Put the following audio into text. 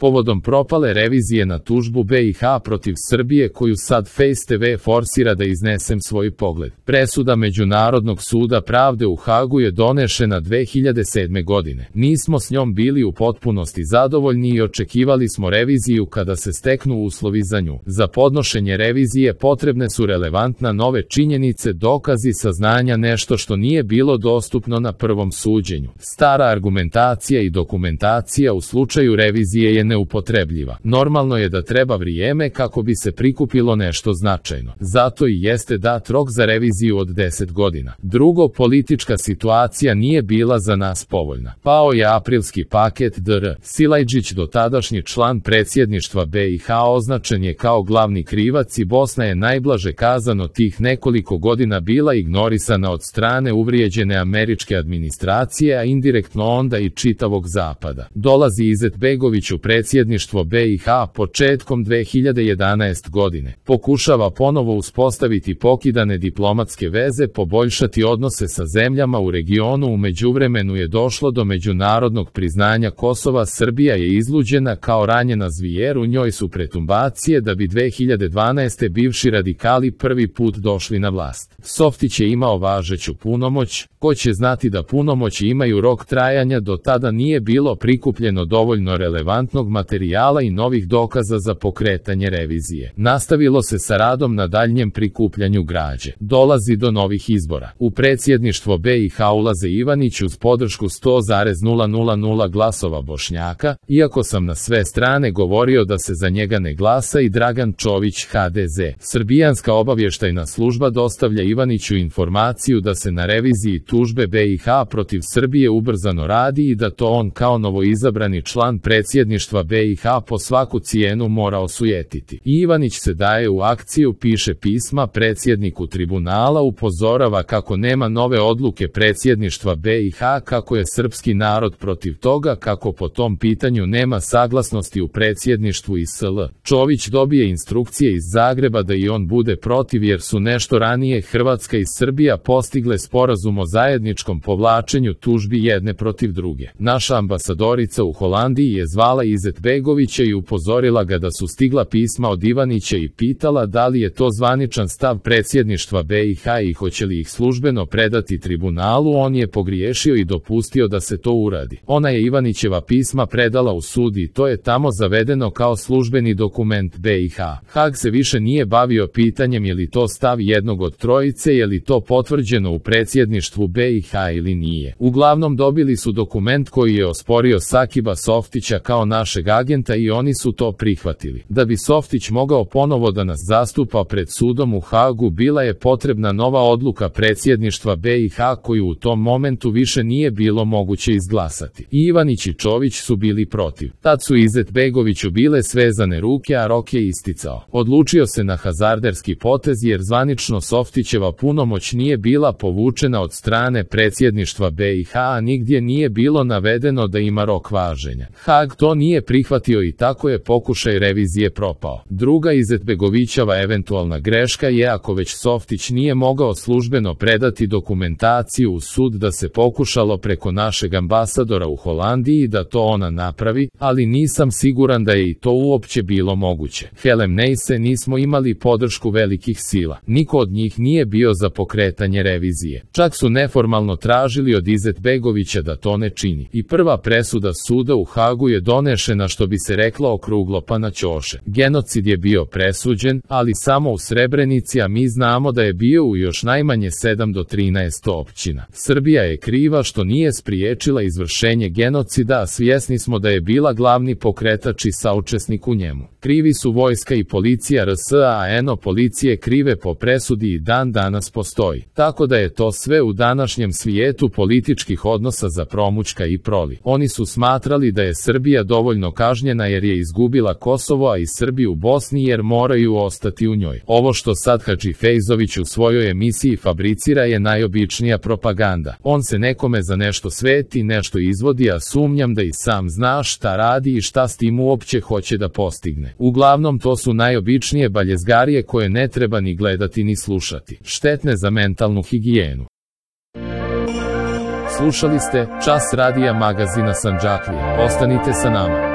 povodom propale revizije na tužbu BiH protiv Srbije koju sad Face TV forsira da iznesem svoj pogled. Presuda Međunarodnog suda pravde u Hagu je donešena 2007. godine. Nismo s njom bili u potpunosti zadovoljni i očekivali smo reviziju kada se steknu uslovi za nju. Za podnošenje revizije potrebne su relevantna nove činjenice, dokazi, saznanja, nešto što nije bilo dostupno na prvom suđenju. Stara argumentacija i dokumentacija u slučaju revizije je neupotrebljiva. Normalno je da treba vrijeme kako bi se prikupilo nešto značajno. Zato i jeste dat rok za reviziju od 10 godina. Drugo, politička situacija nije bila za nas povoljna. Pao je aprilski paket dr. Silajdžić, dotadašnji član predsjedništva BiH, označen je kao glavni krivac i Bosna je najblaže kazano tih nekoliko godina bila ignorisana od strane uvrijeđene američke administracije, a indirektno onda i čitavog zapada. Dolazi Izetbegović u predsjedništvo BiH početkom 2011. godine. Pokušava ponovo uspostaviti pokidane diplomatske veze, poboljšati odnose sa zemljama u regionu. U međuvremenu je došlo do međunarodnog priznanja Kosova. Srbija je izluđena kao ranjena zvijer, u njoj su pretumbacije da bi 2012. bivši radikali prvi put došli na vlast. Softić je imao važeću punomoć. Ko će znati da punomoći imaju rok trajanja? Do tada nije bilo prikupljeno dovoljno relevantnog materijala i novih dokaza za pokretanje revizije. Nastavilo se sa radom na daljnjem prikupljanju građe. Dolazi do novih izbora. U predsjedništvo BiH ulaze Ivanić uz podršku 100,000 glasova Bošnjaka, iako sam na sve strane govorio da se za njega ne glasa, i Dragan Čović, HDZ. Srbijanska obavještajna služba dostavlja Ivaniću informaciju da se na reviziji tužbe BiH protiv Srbije ubrzano radi i da to on kao novoizabrani član predsjedništva BiH po svaku cijenu mora osujetiti. Ivanić se daje u akciju, piše pisma predsjedniku tribunala, upozorava kako nema nove odluke predsjedništva BiH, kako je srpski narod protiv toga, kako po tom pitanju nema saglasnosti u predsjedništvu ISL. Čović dobije instrukcije iz Zagreba da i on bude protiv jer su nešto ranije Hrvatska i Srbija postigle sporazum o zajedničkom povlačenju tužbi jedne protiv druge. Naša ambasadorica u Holandiji je zvala Izetbegovića i upozorila ga da su stigla pisma od Ivanića i pitala da li je to zvaničan stav predsjedništva BiH i hoće li ih službeno predati tribunalu. On je pogriješio i dopustio da se to uradi. Ona je Ivanićeva pisma predala u sud i to je tamo zavedeno kao službeni dokument BiH. Hag se više nije bavio pitanjem je li to stav jednog od trojice, je li to potvrđeno u predsjedništvu BiH ili nije. Uglavnom dobili su dokument koji je osporio Sakiba Softića kao našeg agenta i oni su to prihvatili. Da bi Softić mogao ponovo da nas zastupa pred sudom u Hagu, bila je potrebna nova odluka predsjedništva BiH koju u tom momentu više nije bilo moguće izglasati. Ivanić i Čović su bili protiv. Tad su Izetbegoviću bile svezane ruke, a rok je isticao. Odlučio se na hazarderski potez jer zvanično Softićeva punomoć nije bila povučena od strane predsjedništva BiH, a nigdje nije bilo navedeno da ima rok važenja. Hag to nije prihvatio i tako je pokušaj revizije propao. Druga Izetbegovićeva eventualna greška je ako već Softić nije mogao službeno predati dokumentaciju u sud da se pokušalo preko našeg ambasadora u Holandiji da to ona napravi, ali nisam siguran da je i to uopće bilo moguće. Helem Neise nismo imali podršku velikih sila. Niko od njih nije bio za pokretanje revizije. Čak su neformalno tražili od Izetbegovića da to ne čini. I prva presuda suda u Hagu je donešena, što bi se reklo, okruglo pa na ćoše. Genocid je bio presuđen, ali samo u Srebrenici, a mi znamo da je bio u još najmanje 7 do 13 općina. Srbija je kriva što nije spriječila izvršenje genocida, a svjesni smo da je bila glavni pokretač i saučesnik u njemu. Krivi su vojska i policija RS, a eno policije krive po presudi i dan danas postoji. Tako da je to sve u današnjem svijetu političkih odnosa za promućka i proli. Oni su smatrali da je Srbija dovoljno kažnjena jer je izgubila Kosovo, a i Srbi u Bosni jer moraju ostati u njoj. Ovo što sad Hadži Fejzović u svojoj emisiji fabricira je najobičnija propaganda. On se nekome za nešto sveti, nešto izvodi, a sumnjam da i sam zna šta radi i šta s tim uopće hoće da postigne. Uglavnom to su najobičnije baljezgarije koje ne treba ni gledati ni slušati. Štetne za mentalnu higijenu. Slušali ste Čas radija magazina Sandžaklije. Ostanite sa nama.